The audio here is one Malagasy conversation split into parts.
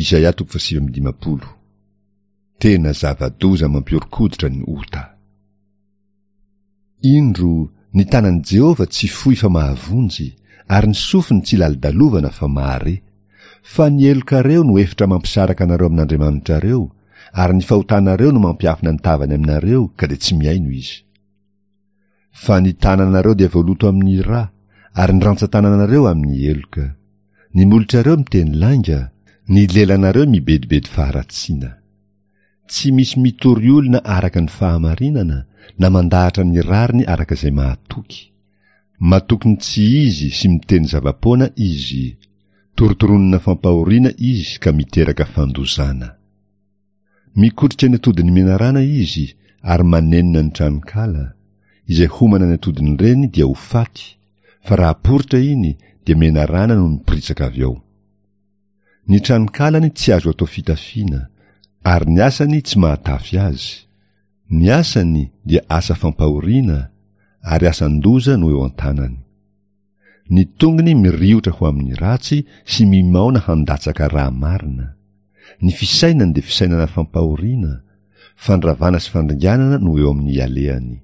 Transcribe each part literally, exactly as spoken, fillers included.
Isaia toko fahasivy amby dimampolo. Tena zava-doza mampihoron-koditra ny ota. Indro, ny tanan'i Jehovah tsy fohy fa mahavonjy, ary ny sofiny tsy lalodalovana fa mahare. Fa ny helokareo no efitra mampisaraka anareo amin'Andriamanitrareo, ary ny fahotanareo no mampiafina ny tavany aminareo, ka dia tsy mihaino izy. Fa ny tananareo dia voaloto amin'ny ra, ary ny rantsan-tananareo amin'ny heloka. Ny molotrareo miteny lainga, ny lelanareo mibedibedy faharatsiana. Tsy misy mitory olona araka ny fahamarinana na mandahatra ny rariny araka izay mahatoky. Matoky ny tsy izy sy miteny zava-poana izy. Torotoronina fampahoriana izy ka miteraka fandozana. Mikotrika ny atodin'ny menarana izy ary manenina ny tranonkala. Izay homana ny atodin'ireny dia ho faty, fa raha poritra iny dia menarana no miporitsaka avy ao. Ny tranonkalany tsy azo atao fitafiana, ary ny asany tsy mahatafy azy. Ny asany dia asa fampahoriana, ary asan-doza no eo an-tanany. Ny tongony miriotra ho amin'ny ratsy sy mimaona handatsaka ra marina. Ny fisainany dia fisainana fampahoriana, fandravana sy fandringanana no eo amin'ny alehany.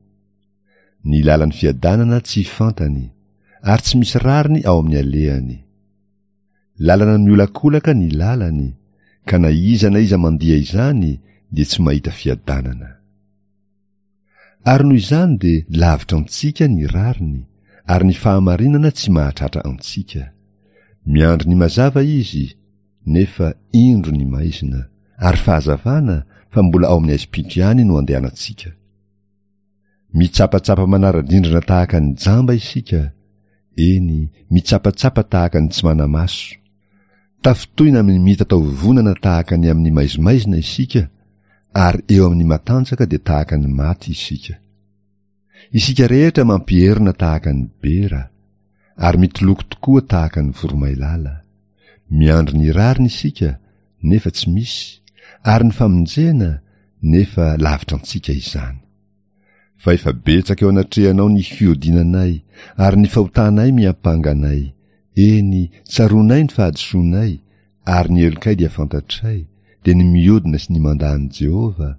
Ny lalan'ny fiadanana tsy fantany, ary tsy misy rariny ao amin'ny alehany. Lalana miolakolaka ny lalany, ka na iza na iza mandia izany dia tsy mahita fiadanana. Ary noho izany dia lavitra antsika ny rariny, ary ny fahamarinana tsy mahatratra antsika. Miandry ny mazava izy, nefa indro ny maizina, ary fahazavana fa mbola ao amin'ny aizim-pito ihany no andehanantsika. Mitsapatsapa manara-drindrina tahaka ny jamba isika, eny, mitsapatsapa tahaka ny tsy mana-maso. Tafintohina amin'ny mitataovovonana tahaka ny amin'ny maizimaizina isika, ary eo amin'ny matanjaka dia tahaka ny maty isika. Isika rehetra mampierona tahaka ny bera, ary mitoloko tokoa tahaka ny voromailala. Miandry ny rariny isika, nefa tsy misy, ary ny famonjena, nefa lavitra antsika izany. Fa efa betsaka eo anatrehanao ny fihodinanay, ary ny fahotanay miampanga anay. Eny, tsaroanay ny fahadisoanay, ary ny helokay dia fantatray, dia ny mihodina sy ny mandà an'i Jehovah,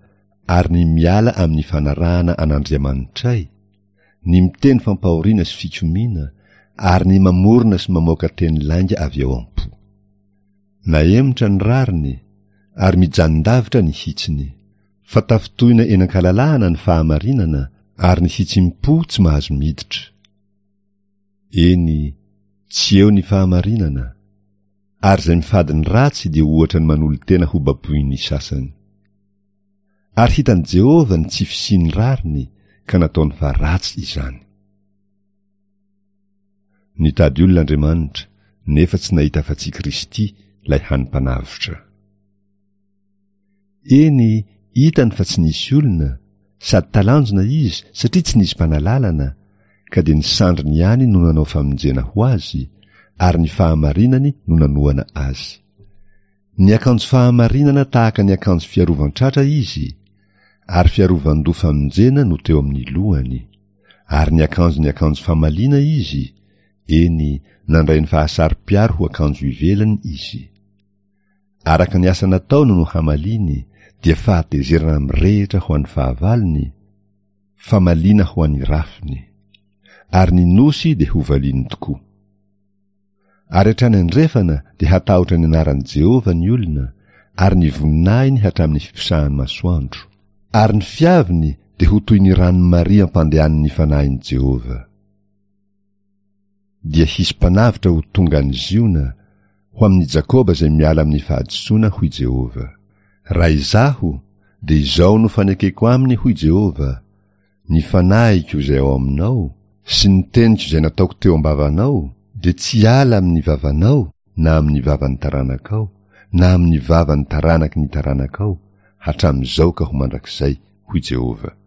ary ny miala amin'ny fanarahana an'Andriamanitray, ny miteny fampahoriana sy fikomiana, ary ny mamorona sy mamoaka teny lainga avy ao am-po. Nahemotra ny rariny, ary mijanon-davitra ny hitsiny. Fa tafintohina eny an-kalalahana ny fahamarinana, ary ny hitsim-po tsy mahazo miditra. Eny, tsy eo ny fahamarinana, ary izay mifady ny ratsy dia ohatra ny manolo-tena ho baboin'ny sasany. Ary hitan'i Jehovah ny tsy fisian'ny rariny, ka nataony fa ratsy izany. Nitady olona Andriamanitra, nefa tsy nahita afa-tsy Kristy, ilay hany Mpanavotra. Eny, hitany fa tsy nisy olona, sady talanjona izy satria tsy nisy mpanalalana, ka dia ny sandriny ihany no nanao famonjena ho azy, ary ny fahamarinany no nanohana azy. Niakanjo fahamarinana tahaka ny akanjo fiarovan-tratra izy, ary fiarovan-doha famonjena no teo amin'ny lohany. Ary niakanjo ny akanjo famaliana izy, eny, nandray ny fahasaro-piaro ho akanjo ivelany izy. Araka ny asa nataony no hamaliany, dia fahatezerana mirehitra ho an'ny fahavalony, famaliana ho an'ny rafiny. Ary ny nosy dia hovaliany tokoa. Ary hatrany andrefana dia hatahotra ny anaran'i Jehovah ny olona, ary ny voninahiny hatramin'ny fiposahan'ny masoandro. Ary ny fiaviny dia ho toy ny ranon'i Maria ampandehanin'ny fanahin'i Jehovah. Dia hisy mpanavotra ho tonga any Ziona, ho amin'i Jakoba izay miala amin'ny fahadisoana, hoy Jehovah. Raha izaho, dia izao no fanekeko aminy, hoy Jehovah, ny fanahiko izay ao aminao, sy ny teniko izay nataoko teo am-bavanao, dia tsy hiala amin'ny vavanao na amin'ny vavan'ny taranakao, na amin'ny vavan'ny taranaky ny taranakao, hatramin'izao ka ho mandrakizay, hoy Jehovah.